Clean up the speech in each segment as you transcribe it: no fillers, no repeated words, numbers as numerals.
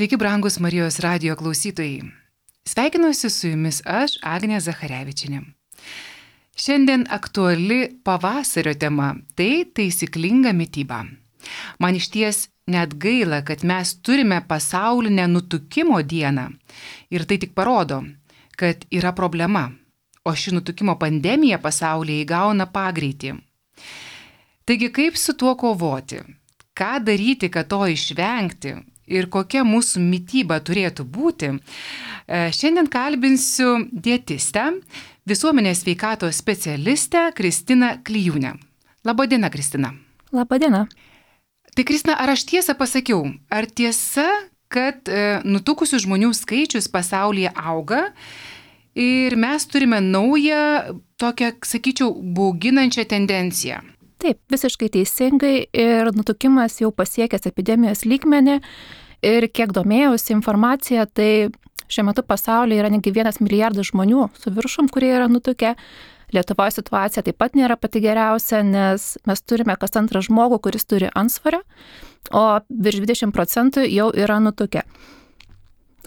Sveiki, brangus Marijos radijo klausytojai. Sveikinuosi su jumis aš, Agnė Zacharevičienė. Šiandien aktuali pavasario tema – tai taisyklinga mityba. Man išties net gaila, kad mes turime pasaulinę nutukimo dieną. Ir tai tik parodo, kad yra problema, o ši nutukimo pandemija pasaulyje įgauna pagreitį. Taigi kaip su tuo kovoti? Ką daryti, kad to išvengti? Ir kokia mūsų mityba turėtų būti? Šiandien kalbinsiu dietistę, visuomenės sveikatos specialistę Kristiną Klijūnę. Labadiena, Kristina. Labadiena. Tai Kristina, ar aš tiesą pasakiau? Ar tiesa, kad nutukusių žmonių skaičius pasaulyje auga ir mes turime naują, tokią, sakyčiau, bauginančią tendenciją? Taip, visiškai teisingai ir nutukimas jau pasiekęs epidemijos lygmenį ir kiek domėjausi informaciją, tai šiuo metu pasaulyje yra negi 1 milijardas žmonių su viršum, kurie yra nutukę. Lietuvoje situacija taip pat nėra pati geriausia, nes mes turime kas antrą žmogų, kuris turi antsvorio, o virš 20% jau yra nutukę.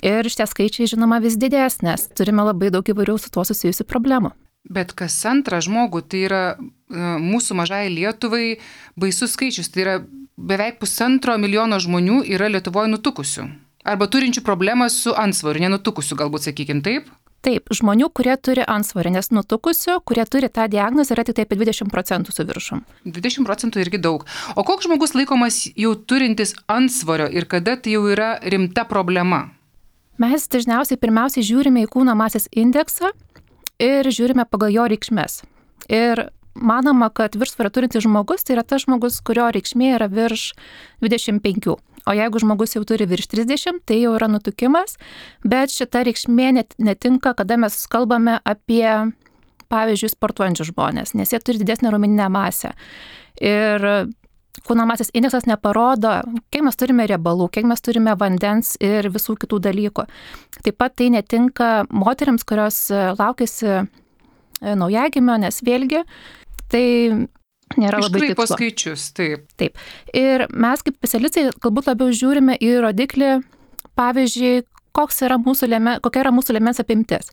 Ir šitie skaičiai, žinoma, vis didės, nes turime labai daug įvairių su tuo susijusių problemų. Bet kas antrą žmogų, tai yra mūsų mažai Lietuvai baisus skaičius, tai yra beveik 1,5 milijono žmonių yra Lietuvoje nutukusių. Arba turinčių problemą su antsvoriu, nenutukusių galbūt, sakykim, taip? Taip, žmonių, kurie turi antsvorį, nes nutukusių, kurie turi tą diagnozę, yra tik apie 20% su viršum. 20% irgi daug. O koks žmogus laikomas jau turintis antsvorio ir kada tai jau yra rimta problema? Mes dažniausiai pirmiausiai žiūrime į kūno masės indeksą ir žiūrime pagal jo reikšmes. Ir manoma, kad viršsvorio turintis žmogus tai yra tas žmogus, kurio reikšmė yra virš 25. O jeigu žmogus jau turi virš 30, tai jau yra nutukimas, bet šita reikšmė netinka, kada mes kalbame apie, pavyzdžiui, sportuojančius žmonės, nes jie turi didesnę raumeninę masę. Ir kūno masės indeksas neparodo, kiek mes turime riebalų, kiek mes turime vandens ir visų kitų dalykų. Taip pat tai netinka moteriams, kurios laukiasi naujagimio, nes vėlgi tai nėra labai tikslu. Iškraipo skaičius, taip. Taip. Ir mes kaip specialistai galbūt labiau žiūrime į rodiklį, pavyzdžiui, kokia yra mūsų liemens apimtis.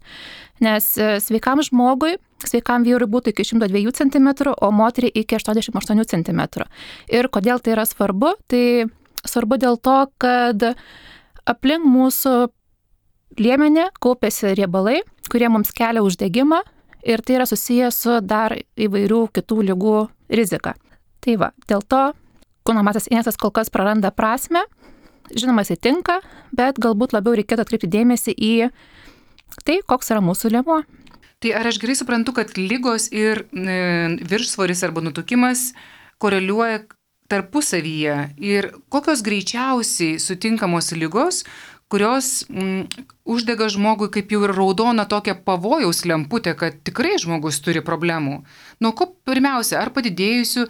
Nes sveikam žmogui, sveikam vyrui būtų iki 102 cm, o moteriai iki 88 cm. Ir kodėl tai yra svarbu? Tai svarbu dėl to, kad aplink mūsų liemenį kaupiasi riebalai, kurie mums kelia uždegimą ir tai yra susijęs su dar įvairių kitų ligų rizika. Tai va, dėl to kūno masės indeksas kol kas praranda prasmę. Žinoma, jisai tinka, bet galbūt labiau reikėtų atkreipti dėmesį į tai, koks yra mūsų liemuo. Tai ar aš gerai suprantu, kad ligos ir viršsvoris arba nutukimas koreliuoja tarpusavyje ir kokios greičiausiai sutinkamos ligos, kurios uždega žmogui kaip jau ir raudona tokia pavojaus lemputė, kad tikrai žmogus turi problemų. Nuo ko pirmiausia, ar padidėjusių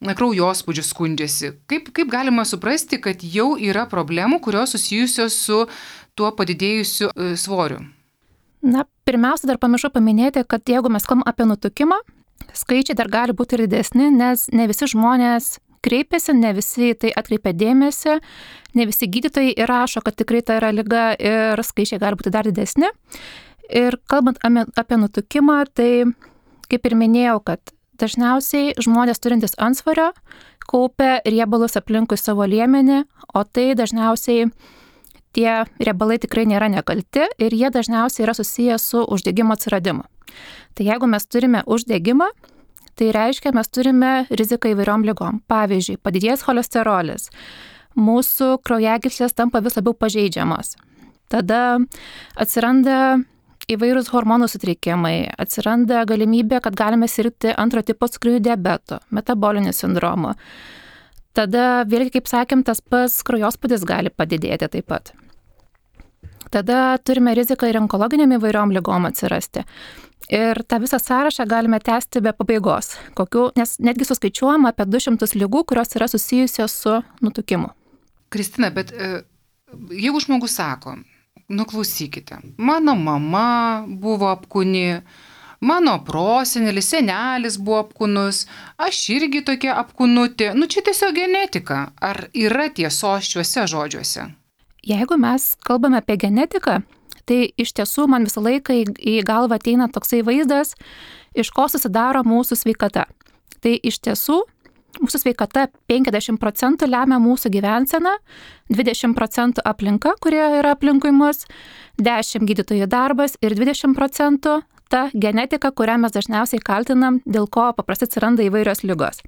kraujospūdžių skundžiasi? Kaip galima suprasti, kad jau yra problemų, kurios susijusios su tuo padidėjusiu svoriu? Na, pirmiausia, dar pamiršau paminėti, kad jeigu mes kalbame apie nutukimą, skaičiai dar gali būti ir didesni, nes ne visi žmonės kreipiasi, ne visi tai atkreipia dėmesį, ne visi gydytojai įrašo, kad tikrai tai yra liga ir skaičiai gali būti dar didesni. Ir kalbant apie nutukimą, tai kaip ir minėjau, kad dažniausiai žmonės turintis antsvorio kaupia riebalus aplinkui savo liemenį, o tai dažniausiai tie riebalai tikrai nėra nekalti ir jie dažniausiai yra susiję su uždegimo atsiradimu. Tai jeigu mes turime uždegimą, tai reiškia, mes turime riziką įvairiom ligom. Pavyzdžiui, padidėjęs cholesterolis, mūsų kraujagyslės tampa vis labiau pažeidžiamos. Tada atsiranda įvairūs hormonų sutrikimai, atsiranda galimybė, kad galime sirgti antro tipo cukriniu diabetu, metaboliniu sindromu. Tada vėlgi, kaip sakėm, tas pats kraujospūdis gali padidėti taip pat. Tada turime riziką ir onkologiniam įvairiom ligom atsirasti. Ir tą visą sąrašą galime tęsti be pabaigos, nes netgi suskaičiuojama apie 200 ligų, kurios yra susijusios su nutukimu. Kristina, bet jeigu žmogus sako, klausykite, mano mama buvo apkūni, Mano prosenelis, senelis buvo apkūnus, aš irgi tokia apkūnutė. Čia tiesiog genetika. Ar yra tiesos šiuose žodžiuose? Jeigu mes kalbame apie genetiką, tai iš tiesų man visą laiką į galvą ateina toksai vaizdas, iš ko susidaro mūsų sveikata. Tai iš tiesų mūsų sveikata 50% lemia mūsų gyvenseną, 20% aplinka, kurie yra aplinkui mus, 10% gydytojų darbas ir 20% ta genetika, kurią mes dažniausiai kaltinam, dėl ko paprastai atsiranda įvairios ligos.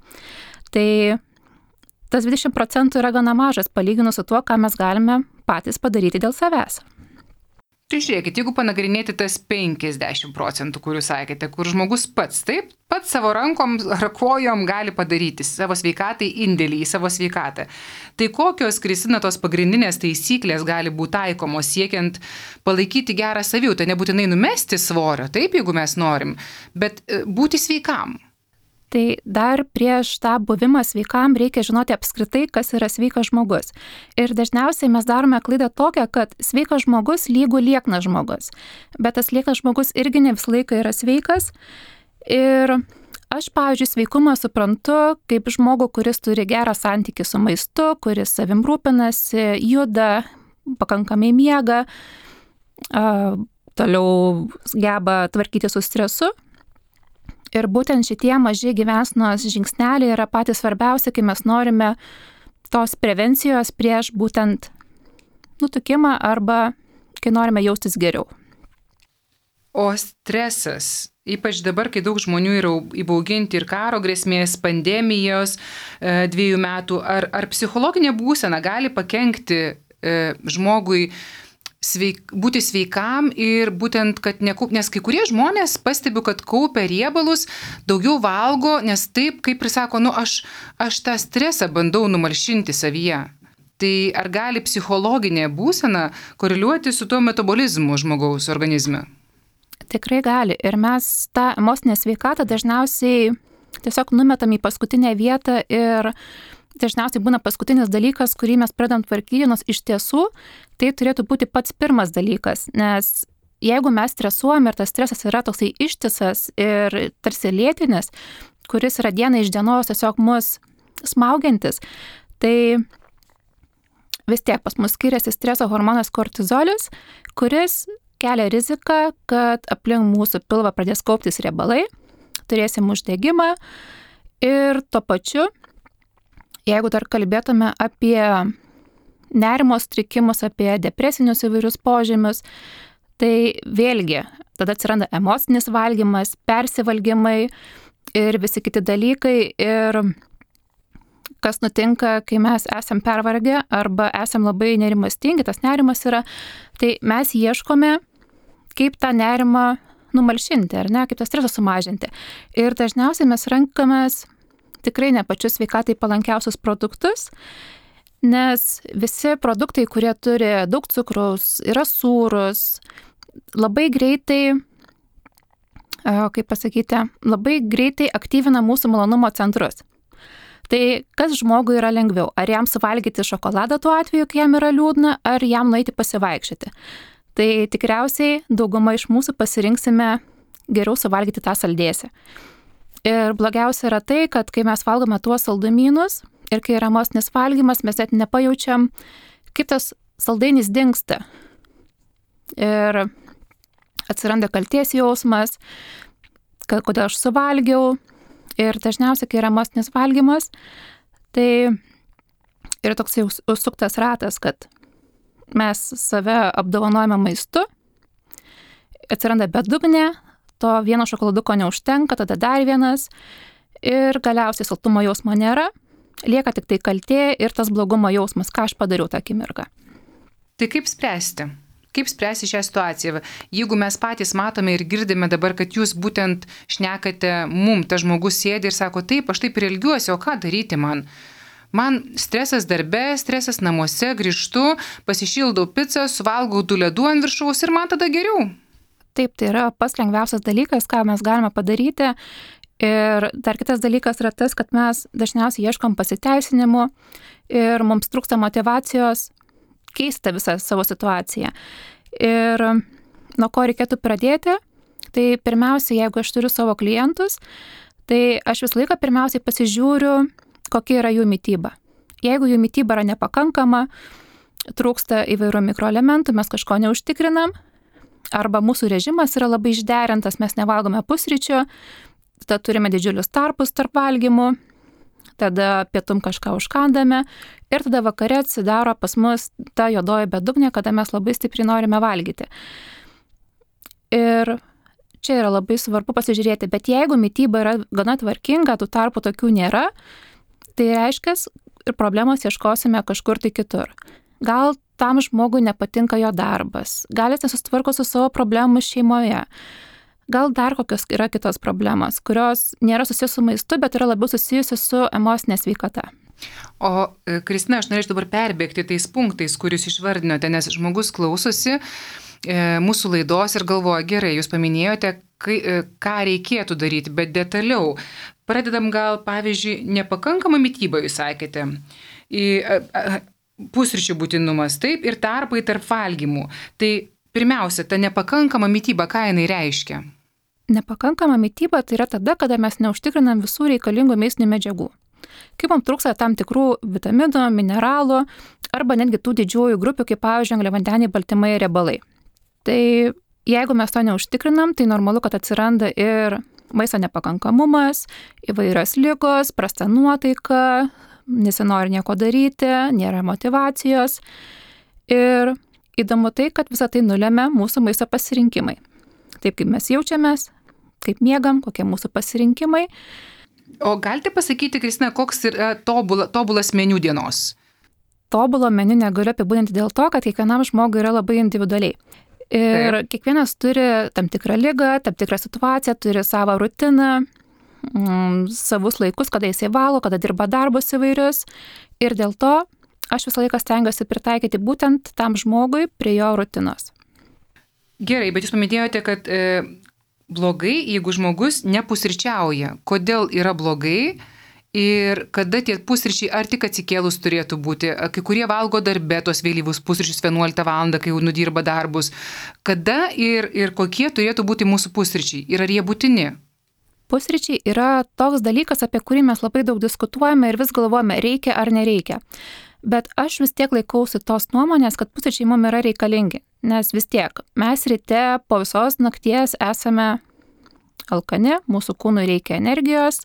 Tai tas 20% yra gana mažas palyginus su tuo, ką mes galime patys padaryti dėl savęs. Tai žiūrėkit, jeigu panagrinėti tas 50%, kur jūs sakėte, kur žmogus pats savo rankom ar kojom gali padaryti savo sveikatai indėlį į savo sveikatą. Tai kokios, Kristina, tos pagrindinės taisyklės gali būti taikomos siekiant palaikyti gerą savijautą, nebūtinai numesti svorio, taip, jeigu mes norim, bet būti sveikam? Tai dar prieš tą buvimą sveikam reikia žinoti apskritai, kas yra sveikas žmogus. Ir dažniausiai mes darome klaidą tokią, kad sveikas žmogus lygu lieknas žmogus. Bet tas lieknas žmogus irgi ne visą laiką yra sveikas. Ir aš, pavyzdžiui, sveikumą suprantu kaip žmogų, kuris turi gerą santykį su maistu, kuris savim rūpinasi, juda, pakankamai miega, toliau geba tvarkyti su stresu. Ir būtent šitie maži gyvensenos žingsneliai yra patys svarbiausi, kai mes norime tos prevencijos prieš būtent nutukimą arba kai norime jaustis geriau. O stresas, ypač dabar, kai daug žmonių yra įbauginti ir karo grėsmės, pandemijos 2 metų, ar psichologinė būsena gali pakenkti žmogui būti sveikam ir būtent, kad nes kai kurie žmonės pastebiu, kad kaupia riebalus, daugiau valgo, nes taip, kaip ir sako, aš tą stresą bandau numalšinti savyje. Tai ar gali psichologinė būsena koreliuoti su tuo metabolizmu žmogaus organizme? Tikrai gali. Ir mes tą emocinę sveikatą dažniausiai tiesiog numetam į paskutinę vietą ir dažniausiai būna paskutinis dalykas, kurį mes pradedam tvarkyti, nors iš tiesų tai turėtų būti pats pirmas dalykas, nes jeigu mes stresuojam ir tas stresas yra toksai ištisas ir tarsi lėtinis, kuris yra diena iš dienos tiesiog mus smaugiantis, tai vis tiek pas mus skiriasi streso hormonas kortizolis, kuris kelia riziką, kad aplink mūsų pilvą pradės kauptis riebalai, turėsim uždegimą ir tuo pačiu, jeigu dar kalbėtume apie nerimo sutrikimus, apie depresinius įvairius požymius, tai vėlgi tada atsiranda emocinis valgymas, persivalgymai ir visi kiti dalykai. Ir kas nutinka, kai mes esam pervargę arba esam labai nerimastingi, tas nerimas yra, tai mes ieškome, kaip tą nerimą numalšinti, ar ne, kaip tą stresą sumažinti. Ir dažniausiai mes renkamės tikrai ne pačius sveikatai palankiausius produktus, nes visi produktai, kurie turi daug cukraus, yra sūrus, labai greitai, labai greitai aktyvina mūsų malonumo centrus. Tai kas žmogui yra lengviau? Ar jam suvalgyti šokoladą tuo atveju, kai jam yra liūdna, ar jam nueiti pasivaikščioti? Tai tikriausiai dauguma iš mūsų pasirinksime geriau suvalgyti tą saldėsį. Ir blogiausia yra tai, kad kai mes valgome tuos saldumynus ir kai yra emocinis valgymas, mes net nepajaučiam, kaip tas saldainis dingsta. Ir atsiranda kaltės jausmas, kad kodėl aš suvalgiau. Ir dažniausiai, kai yra emocinis valgymas, tai yra toks jau užsuktas ratas, kad mes save apdovanojame maistu, atsiranda bedugnė, to vieno šokoladuko neužtenka, tada dar vienas ir galiausiai saltumo jausmo nėra, lieka tik tai kaltė ir tas blogumo jausmas, ką aš padariau tą akimirką. Tai kaip spręsti? Kaip spręsti šią situaciją? Jeigu mes patys matome ir girdime dabar, kad jūs būtent šnekate tas žmogus sėdi ir sako, taip, aš taip ir elgiuosi, o ką daryti man? Man stresas darbe, stresas namuose, grįžtu, pasišildau pizzą, suvalgau 2 ledų ant viršaus ir man tada geriau. Taip, tai yra pats lengviausias dalykas, ką mes galime padaryti. Ir dar kitas dalykas yra tas, kad mes dažniausiai ieškom pasiteisinimų ir mums trūksta motyvacijos keisti visą savo situaciją. Ir nuo ko reikėtų pradėti, tai pirmiausia, jeigu aš turiu savo klientus, tai aš visą laiką pirmiausiai pasižiūriu, kokia yra jų mityba. Jeigu jų mityba yra nepakankama, trūksta įvairių mikroelementų, mes kažko neužtikrinam, arba mūsų režimas yra labai išderintas, mes nevalgome pusryčių, tada turime didžiulius tarpus tarp valgymų, tada pietum kažką užkandame ir tada vakare atsidaro pas mus ta juodoji bedugnė, kada mes labai stipriai norime valgyti. Ir čia yra labai svarbu pasižiūrėti, bet jeigu mityba yra gana tvarkinga, tų tarpų tokių nėra, tai reiškia, ir problemos ieškosime kažkur tai kitur. Gal tam žmogui nepatinka jo darbas, gal jis nesusitvarko su savo problemu šeimoje, gal dar kokios yra kitos problemos, kurios nėra susijęs su maistu, bet yra labiau susijusi su emocinė sveikata. O Kristina, aš norėčiau dabar perbėgti tais punktais, kuriuos išvardinote, nes žmogus klausosi mūsų laidos ir galvoja, gerai, jūs paminėjote, ką reikėtų daryti, bet detaliau. Pradedam gal, pavyzdžiui, nepakankamą mitybą, jūs sakėte, pusryčių būtinumas, taip, ir tarpai tarp valgymų. Tai pirmiausia, ta nepakankama mityba, ką jinai reiškia? Nepakankama mityba tai yra tada, kada mes neužtikrinam visų reikalingų maistinių medžiagų. Kaip mums trūksta tam tikrų vitaminų, mineralų arba netgi tų didžiųjų grupių, kaip pavyzdžiui, angliavandeniai, baltymai ir riebalai. Tai jeigu mes to neužtikrinam, tai normalu, kad atsiranda ir maisto nepakankamumas, įvairios ligos, prasta nuotaika, nesinori nieko daryti, nėra motyvacijos. Ir įdomu tai, kad visą tai nulemia mūsų maisto pasirinkimai. Taip kaip mes jaučiamės, kaip miegam, kokie mūsų pasirinkimai. O galite pasakyti, Kristina, koks yra tobulas meniu dienos? Tobulo meniu negaliu apibūdinti dėl to, kad kiekvienam žmogui yra labai individualiai. Ir kiekvienas turi tam tikrą ligą, tam tikrą situaciją, turi savo rutiną, savus laikus, kada jisai valo, kada dirba darbus įvairius. Ir dėl to aš visą laiką stengiuosi pritaikyti būtent tam žmogui prie jo rutinos. Gerai, bet jūs paminėjote, kad blogai, jeigu žmogus nepusryčiauja. Kodėl yra blogai ir kada tie pusryčiai ar tik atsikėlus turėtų būti? Kai kurie valgo darbe tos vėlyvus pusryčius 11 val. Kai jau nudirba darbus. Kada ir kokie turėtų būti mūsų pusryčiai? Ir ar jie būtini? Pusryčiai yra toks dalykas, apie kurį mes labai daug diskutuojame ir vis galvojame, reikia ar nereikia. Bet aš vis tiek laikausi tos nuomonės, kad pusryčiai mums yra reikalingi. Nes vis tiek mes ryte po visos nakties esame alkani, mūsų kūnui reikia energijos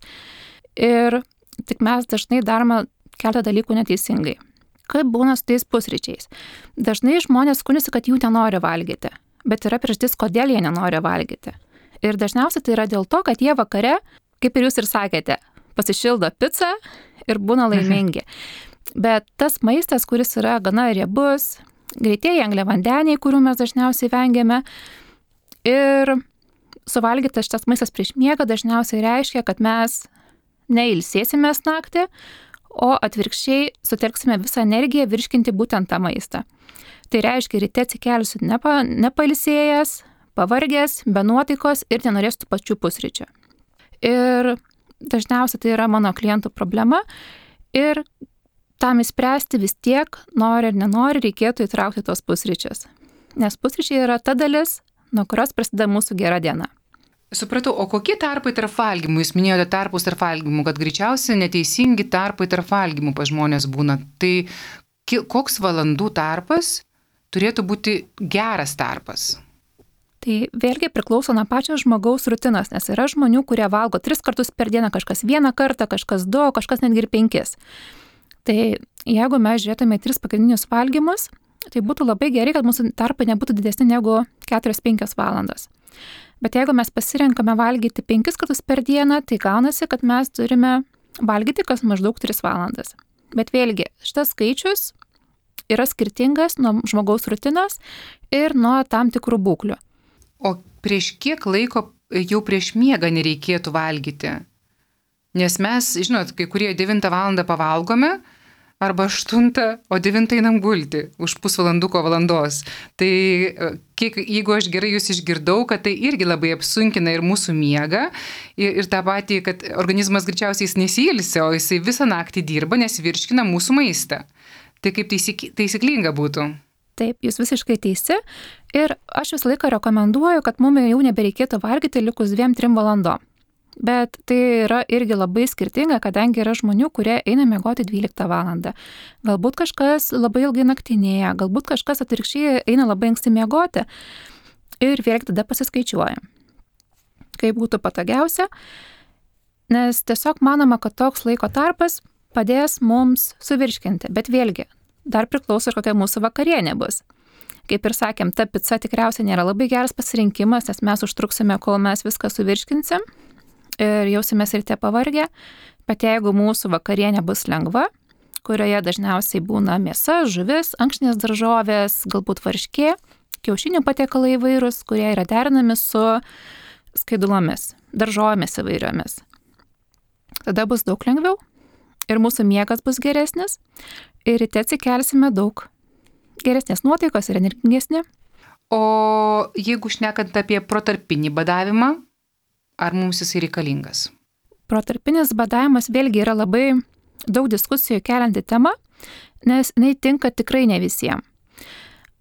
ir tik mes dažnai darome keletą dalykų neteisingai. Kaip būna su tais pusryčiais? Dažnai žmonės skundžiasi, kad jų nenori valgyti, bet yra priežastis, kodėl jie nenori valgyti. Ir dažniausiai tai yra dėl to, kad jie vakare, kaip ir jūs ir sakėte, pasišildo pizzą ir būna laimingi. Bet tas maistas, kuris yra gana riebus, greitieji angliavandeniai, kurių mes dažniausiai vengiame, ir suvalgytas šitas maistas prieš miegą dažniausiai reiškia, kad mes neilsėsimės naktį, o atvirkščiai sutelksime visą energiją virškinti būtent tą maistą. Tai reiškia, ryte atsikelsiu nepailsėjęs, pavargęs, be nuotaikos ir nenorės tų pačių pusryčių. Ir dažniausiai tai yra mano klientų problema ir tam įspręsti vis tiek, nori ar nenori, reikėtų įtraukti tos pusryčius. Nes pusryčiai yra ta dalis, nuo kurios prasideda mūsų gera diena. Supratau, o kokie tarpai tarp valgymų? Jūs minėjote tarpus tarp valgymų, kad greičiausiai neteisingi tarpai tarp valgymų pas žmonės būna. Tai koks valandų tarpas turėtų būti geras tarpas? Tai vėlgi priklauso nuo pačio žmogaus rutinos, nes yra žmonių, kurie valgo 3 kartus per dieną, kažkas 1 kartą, kažkas 2, kažkas netgi ir 5. Tai jeigu mes žiūrėtume 3 pagrindinius valgymus, tai būtų labai gerai, kad mūsų tarpai nebūtų didesni negu 4-5 valandos. Bet jeigu mes pasirenkame valgyti 5 kartus per dieną, tai gaunasi, kad mes turime valgyti kas maždaug 3 valandas. Bet vėlgi, šitas skaičius yra skirtingas nuo žmogaus rutinos ir nuo tam tikrų būklių. O prieš kiek laiko jau prieš miegą nereikėtų valgyti? Nes mes, žinot, kai kurie 9 val. Pavalgome, arba 8, o 9 einam gulti už pusvalanduko valandos. Tai jeigu aš gerai jūs išgirdau, kad tai irgi labai apsunkina ir mūsų miegą, ir tą patį, kad organizmas greičiausiai jis nesiilsi, o jisai visą naktį dirba, nes virškina mūsų maistą. Tai kaip taisyklinga būtų? Taip, jūs visiškai teisi. Ir aš visą laiką rekomenduoju, kad mums jau nebereikėtų valgyti likus 2-3 valandom. bet tai yra irgi labai skirtinga, kadangi yra žmonių, kurie eina miegoti 12 valandą. Galbūt kažkas labai ilgai naktinėja, galbūt kažkas atvirkščiai eina labai anksti miegoti ir vėlgi tada pasiskaičiuoja. Kaip būtų patogiausia, nes tiesiog manoma, kad toks laiko tarpas padės mums suvirškinti, bet vėlgi dar priklauso ir kokia mūsų vakarienė bus. Kaip ir sakėm, ta pica tikriausiai nėra labai geras pasirinkimas, nes mes užtruksime, kol mes viską suvirškinsim ir jausimės ryte pavargę, bet jeigu mūsų vakarienė bus lengva, kurioje dažniausiai būna mėsa, žuvis, ankštinės daržovės, galbūt varškė, kiaušinių patiekalai įvairūs, kurie yra derinami su skaidulomis, daržovėmis įvairiomis. Tada bus daug lengviau ir mūsų miegas bus geresnis ir ryte atsikelsime daug geresnės nuotaikos ir energingesni. O jeigu šnekant apie protarpinį badavimą, ar mums jisai reikalingas? Protarpinis badavimas vėlgi yra labai daug diskusijų kelianti tema, nes jinai tinka tikrai ne visiems.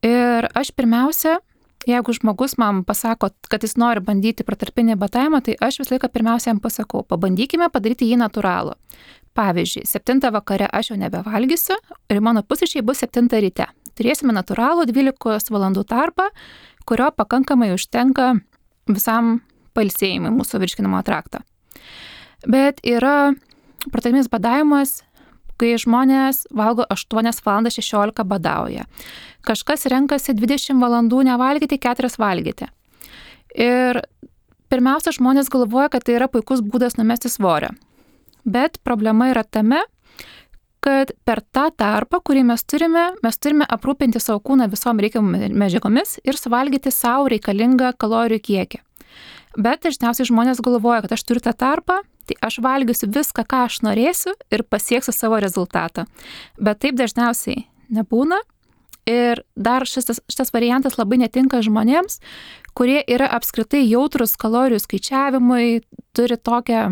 Ir aš pirmiausia, jeigu žmogus man pasako, kad jis nori bandyti protarpinį badavimą, tai aš visą laiką pirmiausia jam pasakau, pabandykime padaryti jį natūralų. Pavyzdžiui, 7 vakare aš jau nebevalgysiu ir mano pusryčiai bus 7 ryte. Turėsime natūralų 12 valandų tarpą, kurio pakankamai užtenka visam pailsėjimui mūsų virškinimo trakto. Bet yra protarpinis badavimas, kai žmonės valgo 8 valandas 16 badauja. Kažkas renkasi 20 valandų nevalgyti, 4 valgyti. Ir pirmiausia, žmonės galvoja, kad tai yra puikus būdas numesti svorio. Bet problema yra tame, kad per tą tarpą, kurį mes turime aprūpinti savo kūną visom reikiamomis medžiagomis ir suvalgyti savo reikalingą kalorijų kiekį. Bet dažniausiai žmonės galvoja, kad aš turiu tą tarpą, tai aš valgysiu viską, ką aš norėsiu ir pasieksiu savo rezultatą. Bet taip dažniausiai nebūna. Ir dar šitas variantas labai netinka žmonėms, kurie yra apskritai jautrus kalorijų skaičiavimui, turi tokią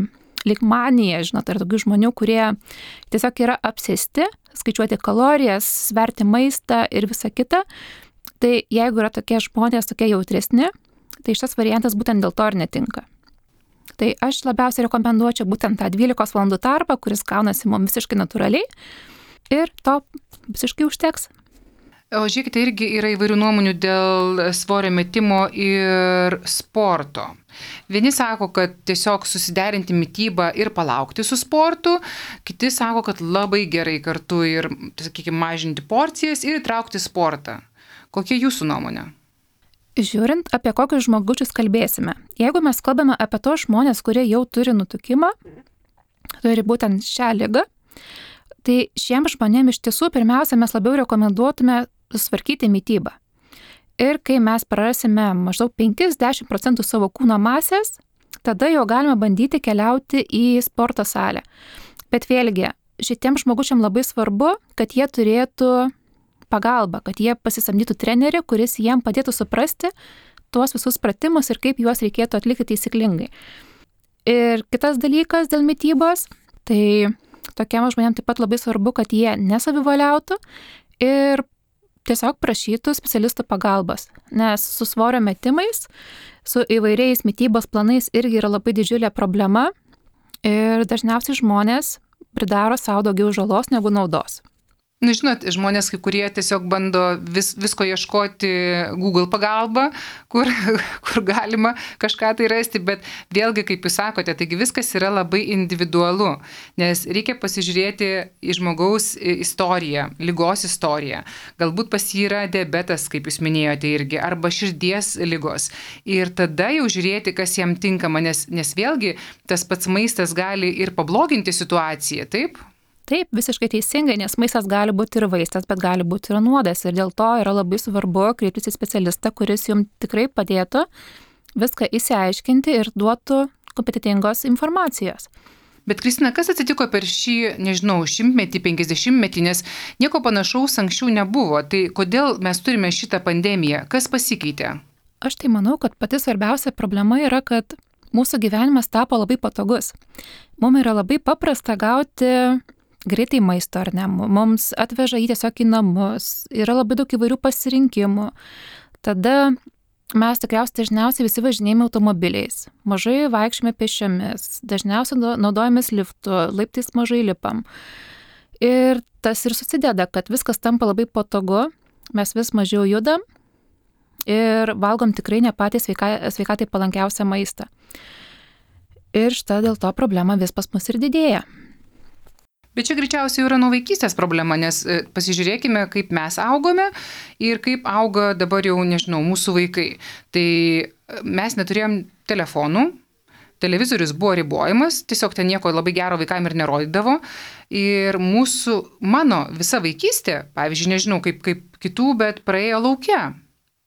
lyg maniją, žinot, yra tokių žmonių, kurie tiesiog yra apsėsti, skaičiuoti kalorijas, sverti maistą ir visa kita. Tai jeigu yra tokie žmonės, tokie jautresni, tai šitas variantas būtent dėl to ir netinka. Tai aš labiausiai rekomenduočiau būtent tą 12 valandų tarpą, kuris gaunasi mums visiškai natūraliai ir to visiškai užteks. O žiūrėkite, irgi yra įvairių nuomonių dėl svorio metimo ir sporto. Vieni sako, kad tiesiog susiderinti mitybą ir palaukti su sportu, kiti sako, kad labai gerai kartu ir, sakykime, mažinti porcijas ir įtraukti sportą. Kokia jūsų nuomonė? Žiūrint, apie kokius žmogučius kalbėsime. Jeigu mes kalbame apie tos žmonės, kurie jau turi nutukimą, turi būtent šią ligą, tai šiems žmonėms iš tiesų pirmiausia mes labiau rekomenduotume susvarkyti mitybą. Ir kai mes prarasime maždaug 50% savo kūno masės, tada jau galime bandyti keliauti į sporto salę. Bet vėlgi, šitiems žmogučiam labai svarbu, kad jie turėtų pagalbą, kad jie pasisamdytų trenerį, kuris jiem padėtų suprasti tuos visus pratimus ir kaip juos reikėtų atlikti taisyklingai. Ir kitas dalykas dėl mitybos, tai tokiam žmonėm taip pat labai svarbu, kad jie nesavivaliautų ir tiesiog prašytų specialistų pagalbos, nes su svorio metimais, su įvairiais mitybos planais irgi yra labai didžiulė problema ir dažniausiai žmonės pridaro savo daugiau žalos negu naudos. Nu, žinot, žmonės, kai kurie tiesiog bando visko ieškoti Google pagalba, kur galima kažką tai rasti, bet vėlgi, kaip jūs sakote, taigi viskas yra labai individualu, nes reikia pasižiūrėti į žmogaus istoriją, ligos istoriją. Galbūt pas jį yra diabetas, kaip jūs minėjote irgi, arba širdies ligos. Ir tada jau žiūrėti, kas jam tinkama, nes vėlgi tas pats maistas gali ir pabloginti situaciją, taip? Taip, visiškai teisingai, nes maistas gali būti ir vaistas, bet gali būti ir nuodas. Ir dėl to yra labai svarbu kreiptis į specialistą, kuris jums tikrai padėtų viską įsiaiškinti ir duotų kompetentingos informacijos. Bet Kristina, kas atsitiko per šį, nežinau, 100-metį, 50-metį, nes nieko panašaus anksčiau nebuvo. Tai kodėl mes turime šitą pandemiją? Kas pasikeitė? Aš tai manau, kad pati svarbiausia problema yra, kad mūsų gyvenimas tapo labai patogus. Mums yra labai paprasta gauti greitai maisto, ar ne, mums atveža jį tiesiog į namus, yra labai daug įvairių pasirinkimų. Tada mes tikriausiai dažniausiai visi važinėjame automobiliais, mažai vaikščiame pėsčiomis, dažniausiai naudojamės liftu, laiptais mažai lipam. Ir tas ir susideda, kad viskas tampa labai patogu, mes vis mažiau judam ir valgom tikrai ne patį sveikatai palankiausią maistą. Ir štai dėl to problema vis pas mus ir didėja. Bet čia greičiausiai yra nuo vaikystės problema, nes pasižiūrėkime, kaip mes augome ir kaip auga dabar jau, nežinau, mūsų vaikai. Tai mes neturėjom telefonų, televizorius buvo ribojamas, tiesiog ten nieko labai gero vaikam ir nerodydavo. Ir mano visa vaikystė, pavyzdžiui, nežinau kaip kitų, bet praėjo lauke.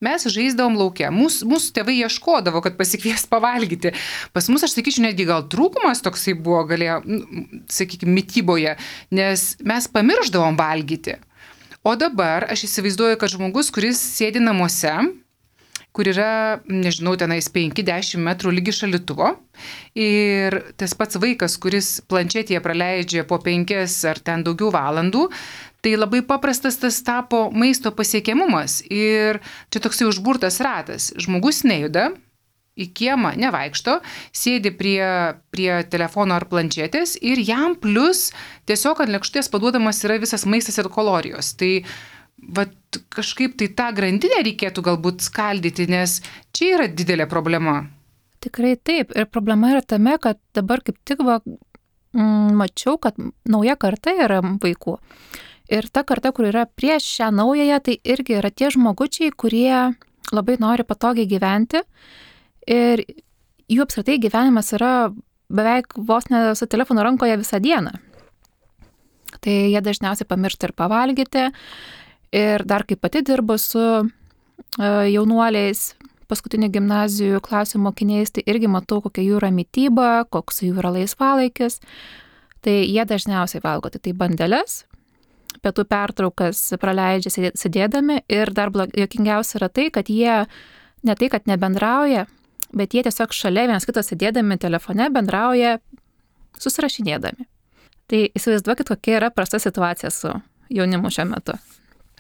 Mes žaisdavom lauke, mūsų tėvai ieškodavo, kad pasikvies pavalgyti. Pas mus, aš sakyčiau, netgi gal trūkumas toksai buvo, sakykime, mityboje, nes mes pamirždavom valgyti. O dabar aš įsivaizduoju, kad žmogus, kuris sėdi namuose, kur yra, nežinau, tenais 5-10 metrų lygi šaldytuvo, ir tas pats vaikas, kuris planšetėje praleidžia po 5 ar ten daugiau valandų, tai labai paprastas tas tapo maisto pasiekiamumas ir čia toksai užburtas ratas. Žmogus nejuda, į kiemą nevaikšto, sėdi prie telefono ar planšetės ir jam plus tiesiog ant lėkštės paduodamas yra visas maistas ir kalorijos. Tai kažkaip tai tą grandinę reikėtų galbūt skaldyti, nes čia yra didelė problema. Tikrai taip. Ir problema yra tame, kad dabar kaip tik mačiau, kad nauja karta yra vaikų. Ir ta karta, kur yra prieš šią naująją, tai irgi yra tie žmogučiai, kurie labai nori patogiai gyventi ir jų apskritai gyvenimas yra beveik vos ne su telefonu rankoje visą dieną. Tai jie dažniausiai pamiršta ir pavalgyti ir dar kaip pati dirbu su jaunuoliais, paskutinių gimnazijų klasių mokiniais, tai irgi matau, kokia jų yra mityba, koks jų yra laisvalaikis. Tai jie dažniausiai valgo tai bandeles, pietų pertraukas praleidžia sėdėdami ir dar juokingiausia yra tai, kad jie ne tai, kad nebendrauja, bet jie tiesiog šalia vienas kito sėdėdami telefone bendrauja susirašinėdami. Tai įsivaizduokit, kokia yra prasta situacija su jaunimu šiuo metu.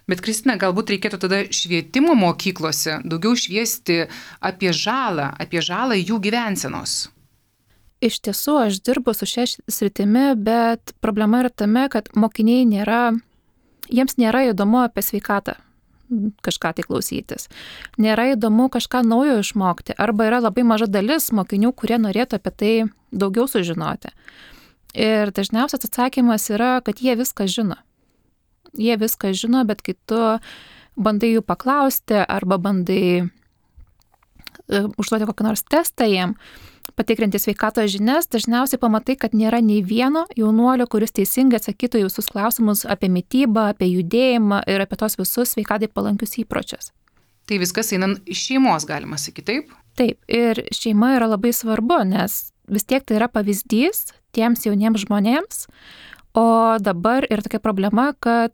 Bet Kristina, galbūt reikėtų tada švietimo mokyklose daugiau šviesti apie žalą jų gyvensenos. Iš tiesų, aš dirbu su šia sritimi, bet problema yra tame, kad mokiniai jiems nėra įdomu apie sveikatą kažką tai klausytis. Nėra įdomu kažką naujo išmokti, arba yra labai maža dalis mokinių, kurie norėtų apie tai daugiau sužinoti. Ir dažniausias atsakymas yra, kad jie viską žino. Jie viską žino, bet kai tu bandai jų paklausti arba bandai užduoti kokį nors testą jiem, patikrinti sveikatos žinias, dažniausiai pamatai, kad nėra nei vieno jaunuolio, kuris teisingai atsakytų į visus klausimus apie mitybą, apie judėjimą ir apie tos visus sveikatai palankius įpročius. Tai viskas eina iš šeimos, galima sakyti, taip? Taip, ir šeima yra labai svarbu, nes vis tiek tai yra pavyzdys tiems jauniems žmonėms, o dabar yra tokia problema, kad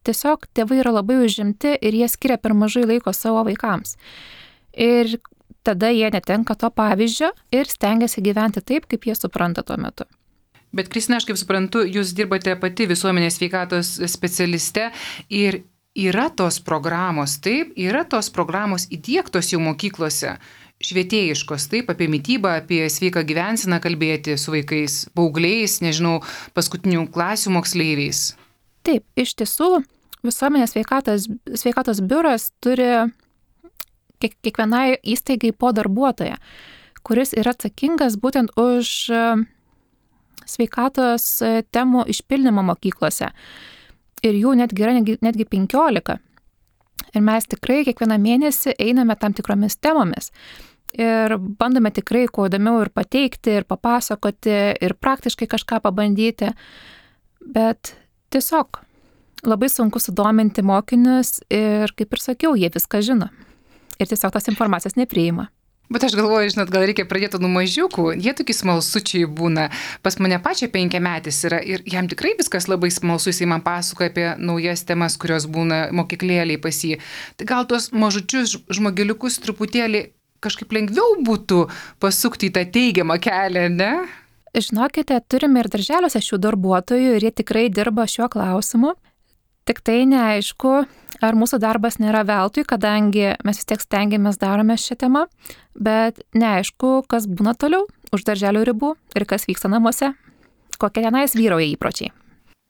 tiesiog tėvai yra labai užimti ir jie skiria per mažai laiko savo vaikams. Ir tada jie netenka to pavyzdžio ir stengiasi gyventi taip, kaip jie supranta tuo metu. Bet Kristina, aš kaip suprantu, jūs dirbate pati visuomenės sveikatos specialiste ir yra tos programos, taip, yra tos programos įdiegtos jau mokyklose, švietėjiškos, taip, apie mitybą, apie sveiką gyvenseną kalbėti su vaikais, paaugliais, nežinau, paskutinių klasių moksleiviais. Taip, iš tiesų, visuomenės sveikatos biuras turi kiekvienai įstaigai po darbuotoją, kuris yra atsakingas būtent už sveikatos temų išpildymą mokyklose. Ir jų netgi yra netgi 15. Ir mes tikrai kiekvieną mėnesį einame tam tikromis temomis. Ir bandome tikrai kuo įdomiau ir pateikti, ir papasakoti, ir praktiškai kažką pabandyti. Bet tiesiog labai sunku sudominti mokinius ir, kaip ir sakiau, jie viską žino. Ir tiesiog tos informacijos nepriima. Bet aš galvoju, žinot, gal reikia pradėti nuo mažiukų. Jie tokie smalsučiai būna. Pas mane pačią 5-metis yra ir jam tikrai viskas labai smalsu. Jis man pasakoja apie naujas temas, kurios būna mokyklėliai pas jį. Tai gal tuos mažučius žmogeliukus truputėlį kažkaip lengviau būtų pasukti į tą teigiamą kelią, ne? Žinokite, turime ir darželiuose šių darbuotojų ir jie tikrai dirba šiuo klausimu. Tik tai neaišku, ar mūsų darbas nėra veltui, kadangi mes vis tiek stengiamės darome šią temą, bet neaišku, kas būna toliau už darželio ribų ir kas vyksta namuose, kokie tenais vyrauja įpročiai.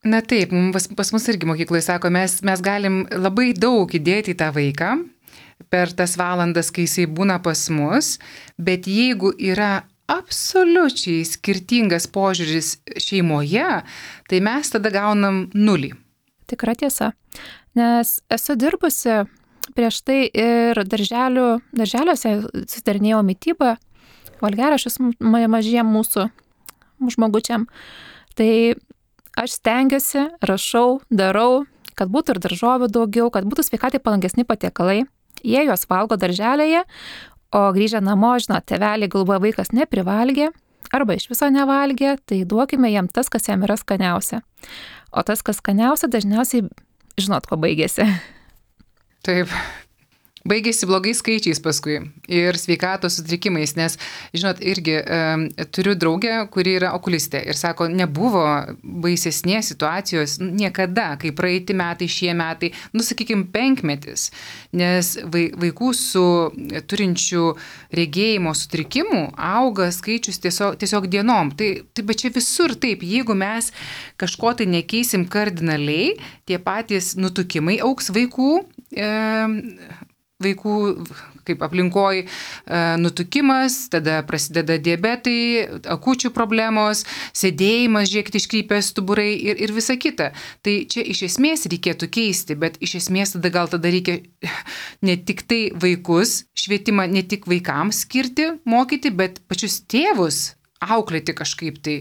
Na taip, pas mus irgi mokykloje sako, mes galim labai daug įdėti į tą vaiką per tas valandas, kai jisai būna pas mus, bet jeigu yra absoliučiai skirtingas požiūris šeimoje, tai mes tada gaunam 0. Tikra tiesa, nes esu dirbusi prieš tai ir darželiuose susidarinėjau mitybą, valgiaraščius mažiem mūsų žmogučiam. Tai aš stengiuosi, rašau, darau, kad būtų ir daržovių daugiau, kad būtų sveikatai palankesni patiekalai. Jie juos valgo darželėje, o grįžę namo, žinot, tėveliai galvoja, vaikas neprivalgė arba iš viso nevalgė, tai duokime jam tas, kas jam yra skaniausia. O tas, kas skaniausia, dažniausiai žinot, ko baigėsi. Taip. Baigėsi blogais skaičiais paskui ir sveikatos sutrikimais, nes, žinot, irgi turiu draugę, kuri yra okulistė ir sako, nebuvo baisesnės situacijos niekada, kai praeiti metai, šie metai, sakykime, 5 metis, nes vaikų su turinčių regėjimo sutrikimų auga skaičius tiesiog dienom. Tai bet čia visur taip, jeigu mes kažko tai nekeisim kardinaliai, tie patys nutukimai augs vaikų kaip aplinkoj nutukimas, tada prasideda diabetai, akučių problemos, sėdėjimas, žiūrėkit, iškrypęs stuburai ir visa kita. Tai čia iš esmės reikėtų keisti, bet iš esmės tada reikia ne tik tai vaikus, švietimą ne tik vaikams skirti, mokyti, bet pačius tėvus auklėti kažkaip tai.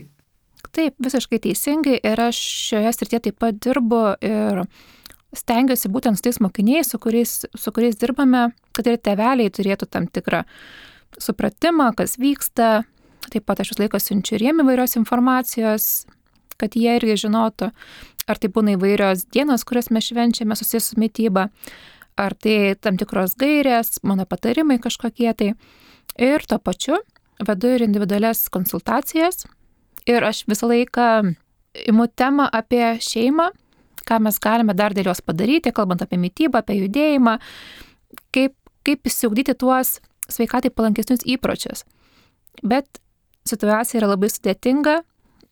Taip, visiškai teisingai ir aš šioje srityje taip pat dirbu ir stengiuosi būtent su tais mokiniais, su kuriais dirbame, kad ir tėveliai turėtų tam tikrą supratimą, kas vyksta. Taip pat aš vis laiko siunčiu ir jiem įvairios informacijos, kad jie irgi žinotų, ar tai būna įvairios dienos, kurias mes švenčiame susijęs su mityba, ar tai tam tikros gairės, mano patarimai kažkokie tai. Ir tuo pačiu vedu ir individualias konsultacijas ir aš visą laiką imu temą apie šeimą, ką mes galime dar dėl jos padaryti, kalbant apie mitybą, apie judėjimą, kaip įsiugdyti tuos sveikatai palankesnius įpročius. Bet situacija yra labai sudėtinga,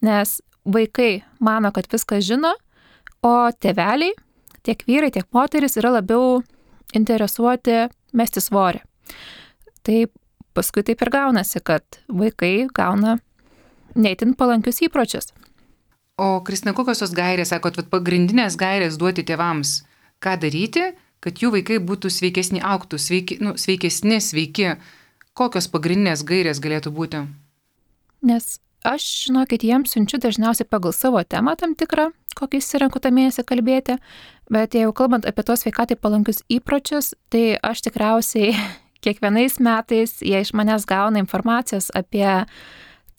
nes vaikai mano, kad viską žino, o tėveliai, tiek vyrai, tiek moteris yra labiau interesuoti mesti svorį. Tai paskui taip ir gaunasi, kad vaikai gauna neįtin palankius įpročius. O Kristina, kokios tos gairės, sakot, pagrindinės gairės duoti tėvams, ką daryti, kad jų vaikai būtų sveikesni, augtų, sveiki, kokios pagrindinės gairės galėtų būti? Nes aš, žinokit, jiems siunčiu dažniausiai pagal savo temą tam tikrą, kokį įsirenku tą mėnesį kalbėti, bet jeigu kalbant apie tos sveikatai palankius įpročius, tai aš tikriausiai kiekvienais metais jie iš manęs gauna informacijos apie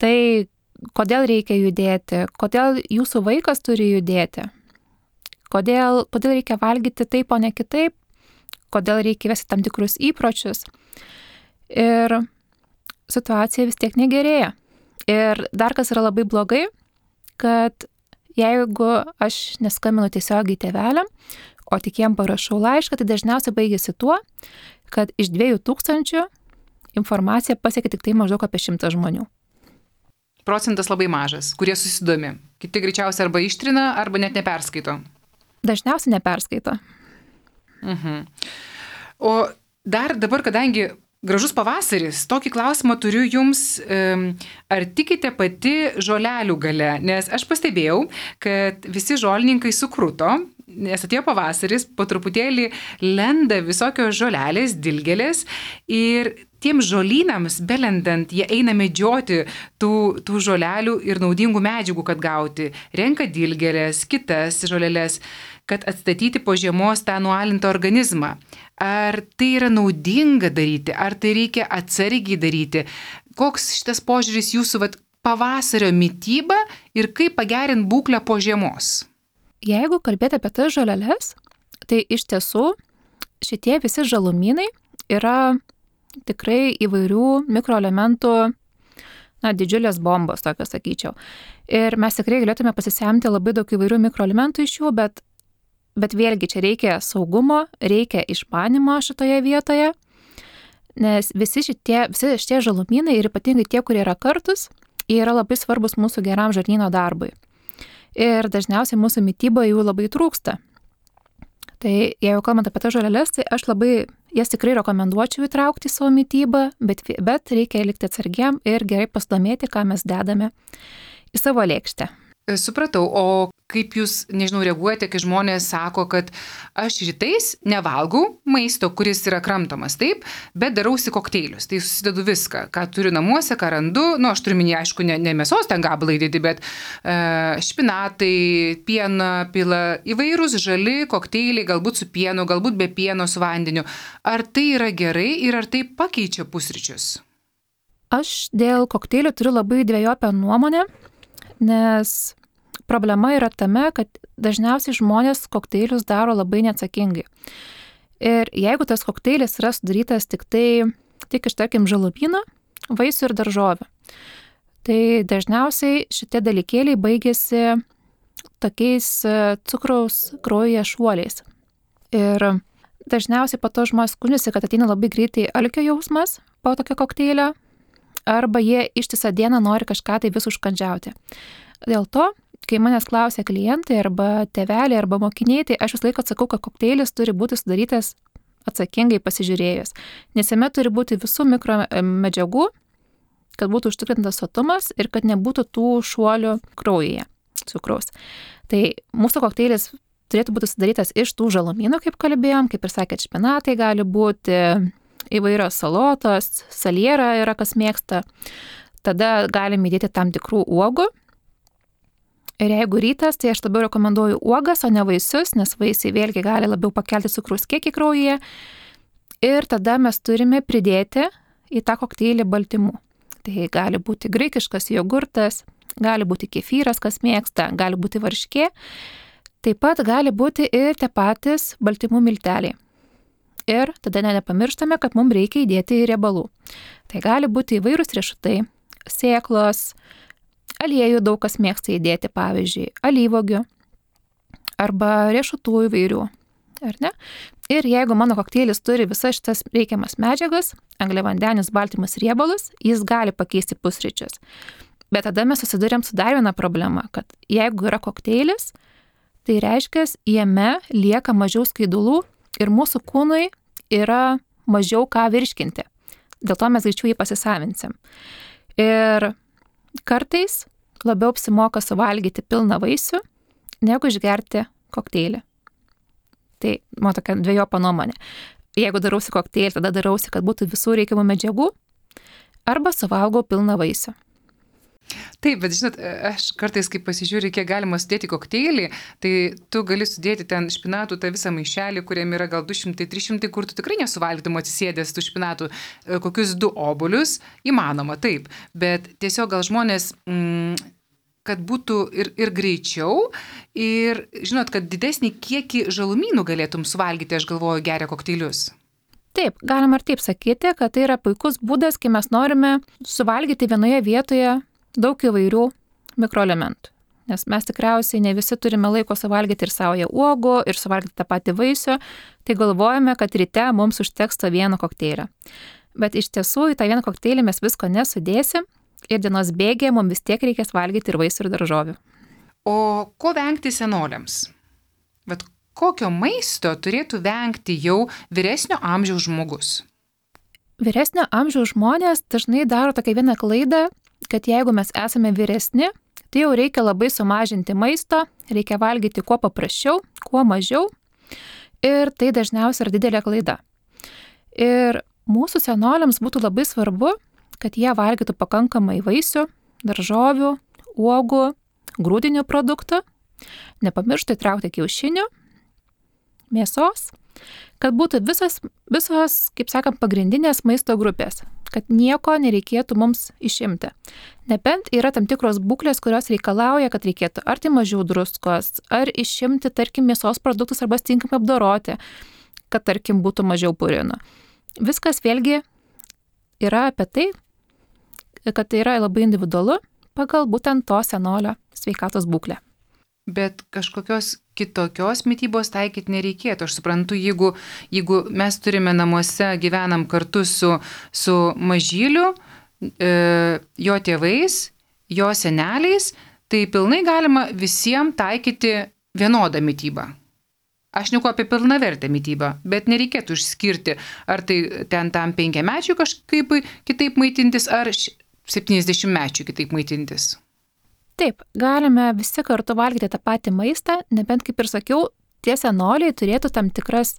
tai, kodėl reikia judėti, kodėl jūsų vaikas turi judėti, kodėl reikia valgyti taip, o ne kitaip, kodėl reikia vesti tam tikrus įpročius. Ir situacija vis tiek negerėja. Ir dar kas yra labai blogai, kad jeigu aš neskambinu tiesiogiai tėveliam, o tik jiem parašau laišką, tai dažniausiai baigėsi tuo, kad iš 2000 informacija pasiekia tik tai maždaug apie 100 žmonių. Procentas labai mažas, kurie susidomi. Kiti greičiausiai arba ištrina, arba net neperskaito. Dažniausiai neperskaito. O dar dabar, kadangi gražus pavasaris, tokį klausimą turiu jums, ar tikite pati žolelių gale? Nes aš pastebėjau, kad visi žolininkai sukruto, nes atėjo pavasaris, po truputėlį lenda visokios žolelės, dilgėlės ir tiems žolynams belendant jie eina medžioti tų žolelių ir naudingų medžiagų, kad gauti. Renka dilgėlės, kitas žolelės, kad atstatyti po žiemos tą nualintą organizmą. Ar tai yra naudinga daryti, ar tai reikia atsargiai daryti? Koks šitas požiūris jūsų pavasario mityba ir kaip pagerinti būklę po žiemos? Jeigu kalbėti apie tas žoleles, tai iš tiesų šitie visi žalumynai yra tikrai įvairių mikroelementų, didžiulės bombos, tokios sakyčiau. Ir mes tikrai galėtume pasisemti labai daug įvairių mikroelementų iš jų, bet bet vėlgi čia reikia saugumo, reikia išmanimo šitoje vietoje, nes visi šitie žalumynai ir ypatingai tie, kurie yra kartus, jie yra labai svarbus mūsų geram žarnyno darbui. Ir dažniausiai mūsų mityboje jų labai trūksta. Tai jeigu kalbant apie tas žoleles, tai aš jas tikrai rekomenduočiau įtraukti į savo mitybą, bet reikia likti atsargiam ir gerai pasidomėti, ką mes dedame į savo lėkštę. Supratau, o kaip jūs, reaguojate, kai žmonės sako, kad aš rytais nevalgau maisto, kuris yra kramtomas, taip, bet darausi kokteilius, tai susidedu viską, ką turiu namuose, ką randu, aš turiu minėti, aišku, ne mėsos ten gabalai didį, bet špinatai, pieną pila, įvairūs žali kokteiliai, galbūt su pienu, galbūt be pieno, su vandeniu. Ar tai yra gerai ir ar tai pakeičia pusryčius? Aš dėl kokteilių turiu labai dvejopę nuomonę, nes problema yra tame, kad dažniausiai žmonės kokteilius daro labai neatsakingai. Ir jeigu tas kokteilis yra sudarytas tik iš, tarkim, žalumynų, vaisių ir daržovių, tai dažniausiai šitie dalykėliai baigėsi tokiais cukraus kraujyje šuoliais. Ir dažniausiai po to žmonės skundžiasi, kad ateina labai greitai alkio jausmas po tokio kokteilio, arba jie ištisą dieną nori kažką tai vis užkandžiauti. Dėl to, kai manęs klausia klientai arba tėveliai arba mokiniai, tai aš vis laiką atsakau, kad kokteilis turi būti sudarytas atsakingai pasižiūrėjus, nes jame turi būti visų mikromedžiagų, kad būtų užtikrintas sotumas ir kad nebūtų tų šuolių kraujyje cukraus. Tai mūsų kokteilis turėtų būti sudarytas iš tų žalumynų, kaip kalbėjom, kaip ir sakėt, špinatai gali būti, įvairios salotos, saliera yra, kas mėgsta, tada galime įdėti tam tikrų uogų. Ir jeigu rytas, tai aš labiau rekomenduoju uogas, o ne vaisius, nes vaisiai vėlgi gali labiau pakelti cukraus kiekį kraujyje. Ir tada mes turime pridėti į tą kokteilį baltymų. Tai gali būti graikiškas jogurtas, gali būti kefyras, kas mėgsta, gali būti varškė. Taip pat gali būti ir tie patys baltymų milteliai. Ir tada nepamirštame, kad mums reikia įdėti riebalų. Tai gali būti įvairūs riešutai, sėklos, aliejų daug kas mėgsta įdėti, pavyzdžiui, alyvuogių arba riešutų įvairių, ar ne? Ir jeigu mano kokteilis turi visas šitas reikiamas medžiagas, angliavandenius, baltymus, riebalus, jis gali pakeisti pusryčius. Bet tada mes susiduriam su dar viena problema, kad jeigu yra kokteilis, tai reiškia, jame lieka mažiau skaidulų ir mūsų kūnui yra mažiau ką virškinti. Dėl to mes greičiau jį pasisavinsim. Ir kartais labiau apsimoka suvalgyti pilną vaisių, negu išgerti kokteilį. Tai mano tokia dvejopa nuomonė. Jeigu darausi kokteilį, tada darausi, kad būtų visų reikiamų medžiagų, arba suvalgau pilną vaisių. Taip, bet žinot, aš kartais, kai pasižiūriu, kiek galima sudėti kokteilį, tai tu gali sudėti ten špinatų tą visą maišelį, kuriam yra gal 200-300, kur tu tikrai nesuvalgytum atsisėdęs tų špinatų, kokius 2 obuolius, įmanoma, taip. Bet tiesiog gal žmonės, kad būtų ir greičiau, ir žinot, kad didesnį kiekį žalumynų galėtum suvalgyti, aš galvoju, geria kokteilius. Taip, galima ir taip sakyti, kad tai yra puikus būdas, kai mes norime suvalgyti vienoje vietoje daug įvairių mikroelementų. Nes mes tikriausiai ne visi turime laiko suvalgyti ir saują uogų, ir suvalgyti tą patį vaisių, tai galvojame, kad ryte mums užteks to vieno kokteilio. Bet iš tiesų į tą vieną kokteilį mes visko nesudėsim ir dienos bėgyje mums vis tiek reikės valgyti ir vaisių ir daržovių. O ko vengti senoliams? Bet kokio maisto turėtų vengti jau vyresnio amžiaus žmogus? Vyresnio amžiaus žmonės dažnai daro tokią vieną klaidą, kad jeigu mes esame vyresni, tai jau reikia labai sumažinti maisto, reikia valgyti kuo paprasčiau, kuo mažiau ir tai dažniausiai yra didelė klaida. Ir mūsų senoliams būtų labai svarbu, kad jie valgytų pakankamai vaisių, daržovių, uogų, grūdinių produktų, nepamirštų įtraukti kiaušinių, mėsos, kad būtų visos, kaip sakant, pagrindinės maisto grupės, kad nieko nereikėtų mums išimti. Nebent yra tam tikros būklės, kurios reikalauja, kad reikėtų ar tai mažiau druskos, ar išimti, tarkim, mėsos produktus arba tinkamai apdoroti, kad, tarkim, būtų mažiau purinų. Viskas vėlgi yra apie tai, kad tai yra labai individualu pagal būtent to senolio sveikatos būklę. Bet kažkokios kitokios mitybos taikyti nereikėtų. Aš suprantu, jeigu mes turime namuose, gyvenam kartu su mažyliu, jo tėvais, jo seneliais, tai pilnai galima visiems taikyti vienodą mitybą. Aš neku apie pilnavertę mitybą, bet nereikėtų išskirti, ar tai ten tam 5-mečiui kažkaip kitaip maitintis, ar 70-mečiui kitaip maitintis. Taip, galime visi kartu valgyti tą patį maistą, nebent, kaip ir sakiau, tie senoliai turėtų tam tikras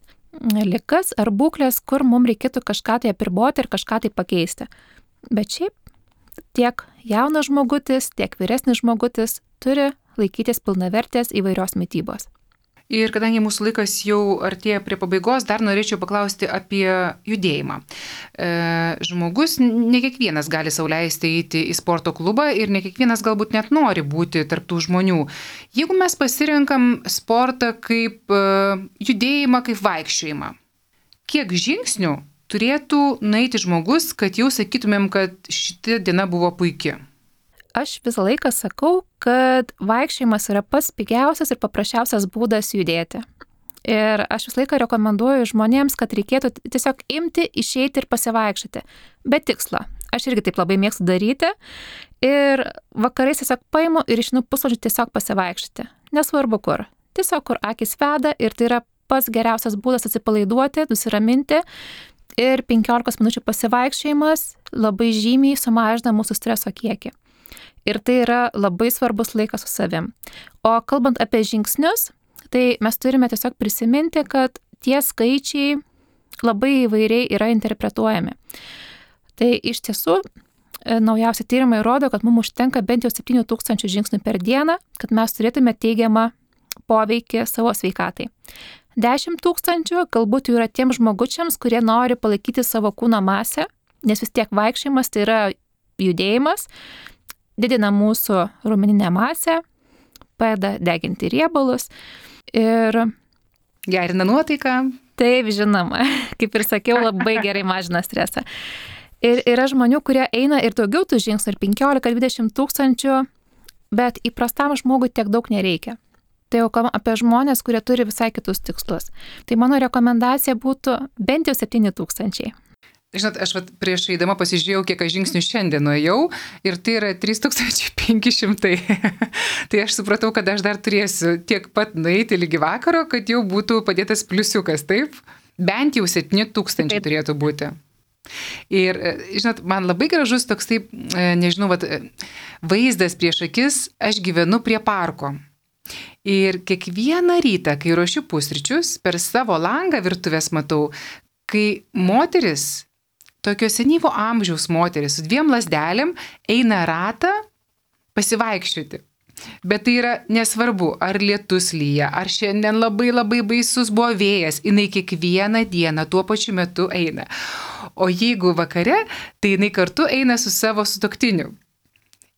ligas ar būklės, kur mums reikėtų kažką tai apriboti ir kažką tai pakeisti. Bet šiaip tiek jaunas žmogutis, tiek vyresnis žmogutis turi laikytis pilnavertės įvairios mitybos. Ir kadangi mūsų laikas jau artėja prie pabaigos, dar norėčiau paklausti apie judėjimą. Žmogus, ne kiekvienas gali sau leisti eiti į sporto klubą ir ne kiekvienas galbūt net nori būti tarptų žmonių. Jeigu mes pasirenkam sportą kaip judėjimą, kaip vaikščiojimą, kiek žingsnių turėtų nueiti žmogus, kad jau sakytumėm, kad šita diena buvo puiki? Aš visą laiką sakau, kad vaikščiojimas yra pats pigiausias ir paprasčiausias būdas judėti. Ir aš visą laiką rekomenduoju žmonėms, kad reikėtų tiesiog imti, išeiti ir pasivaikščioti. Be tikslo. Aš irgi taip labai mėgstu daryti. Ir vakarais tiesiog paimu ir išeinu pusvalandžiui tiesiog pasivaikščioti. Nesvarbu kur. Tiesiog kur akis veda ir tai yra pats geriausias būdas atsipalaiduoti, nusiraminti. Ir 15 minučių pasivaikščiojimas labai žymiai sumažina mūsų streso kiekį. Ir tai yra labai svarbus laikas su savim. O kalbant apie žingsnius, tai mes turime tiesiog prisiminti, kad tie skaičiai labai įvairiai yra interpretuojami. Tai iš tiesų, naujausi tyrimai rodo, kad mums užtenka bent jau 7000 žingsnių per dieną, kad mes turėtume teigiamą poveikį savo sveikatai. 10 000 galbūt jau yra tiem žmogučiams, kurie nori palaikyti savo kūno masę, nes vis tiek vaikščiojimas tai yra judėjimas, didina mūsų raumeninę masę, padeda deginti riebalus ir gerina nuotaiką. Taip, žinoma, kaip ir sakiau, labai gerai mažina stresą. Ir yra žmonių, kurie eina ir daugiau tų žingsnių, ir 15-20 000, bet įprastam žmogui tiek daug nereikia. Tai jau kalbam apie žmonės, kurie turi visai kitus tikslus. Tai mano rekomendacija būtų bent jau 7 000. Žinot, aš prieš eidama pasižiūrėjau, kiek aš žingsnių šiandien nuėjau ir tai yra 3500. Tai aš supratau, kad aš dar turėsiu tiek pat nueiti lygi vakaro, kad jau būtų padėtas pliusiukas, taip? Bent jau 7000 turėtų būti. Ir, žinot, man labai gražus toks taip, nežinau, vaizdas prieš akis, aš gyvenu prie parko. Ir kiekvieną rytą, kai ruošiu pusryčius, per savo langą virtuvės matau, kai moteris, tokio senyvo amžiaus moteris su 2 lazdelėm eina ratą pasivaikščioti. Bet tai yra nesvarbu, ar lietus lyja, ar šiandien labai labai baisus buvo vėjas, jinai kiekvieną dieną tuo pačiu metu eina. O jeigu vakare, tai jinai kartu eina su savo sutuoktiniu.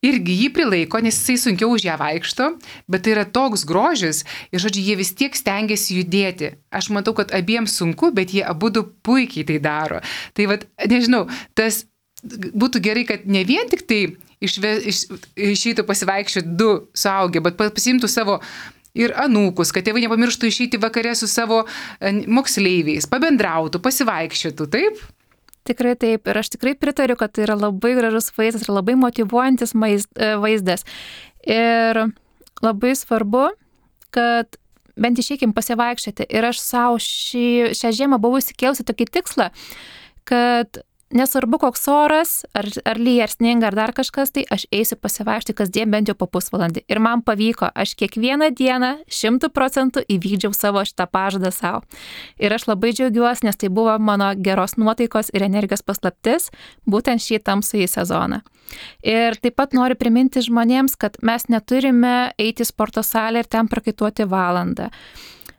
Irgi jį prilaiko, nes jisai sunkiau už ją vaikšto, bet tai yra toks grožis ir, žodžiu, jie vis tiek stengiasi judėti. Aš matau, kad abiems sunku, bet jie abudu puikiai tai daro. Tai nežinau, tas būtų gerai, kad ne vien tik tai išeitų pasivaikščioti 2 suaugę, bet pasiimtų savo ir anūkus, kad tėvai nepamirštų išeiti vakare su savo moksleiviais, pabendrautų, pasivaikščiotų, taip? Tikrai taip. Ir aš tikrai pritariu, kad tai yra labai gražus vaizdas ir labai motyvuojantis vaizdas. Ir labai svarbu, kad bent išeikim pasivaikščioti. Ir aš savo šią žiemą buvau įsikėlusi tokį tikslą, kad nesvarbu koks oras, ar lyja, ar sninga, ar dar kažkas, tai aš eisiu pasivaikščioti kasdien bent jau po pusvalandį. Ir man pavyko, aš kiekvieną dieną 100% įvykdžiau savo šitą pažadą savo. Ir aš labai džiaugiuosi, nes tai buvo mano geros nuotaikos ir energijos paslaptis, būtent šį tamsųjį sezoną. Ir taip pat noriu priminti žmonėms, kad mes neturime eiti į sporto salę ir ten prakaituoti valandą.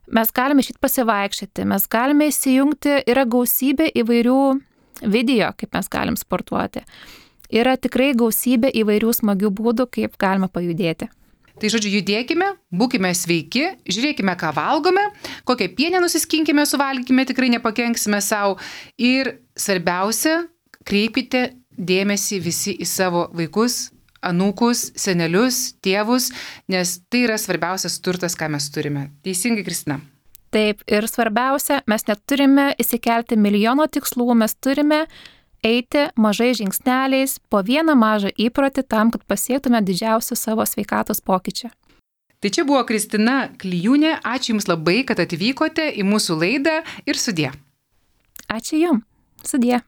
Mes galime išeiti pasivaikščioti, mes galime įsijungti, yra gausybė įvairių video, kaip mes galim sportuoti. Yra tikrai gausybė įvairių smagių būdų, kaip galime pajudėti. Tai žodžiu, judėkime, būkime sveiki, žiūrėkime, ką valgome, kokią pienę nusiskinkime, suvalgykime, tikrai nepakenksime savo. Ir svarbiausia, kreipkite dėmesį visi į savo vaikus, anūkus, senelius, tėvus, nes tai yra svarbiausias turtas, ką mes turime. Teisingai, Kristina? Taip, ir svarbiausia, mes neturime įsikelti milijono tikslų, mes turime eiti mažais žingsneliais po vieną mažą įprotį tam, kad pasiektume didžiausią savo sveikatos pokyčią. Tai čia buvo Kristina Klijūnė. Ačiū Jums labai, kad atvykote į mūsų laidą ir sudie. Ačiū Jums. Sudie.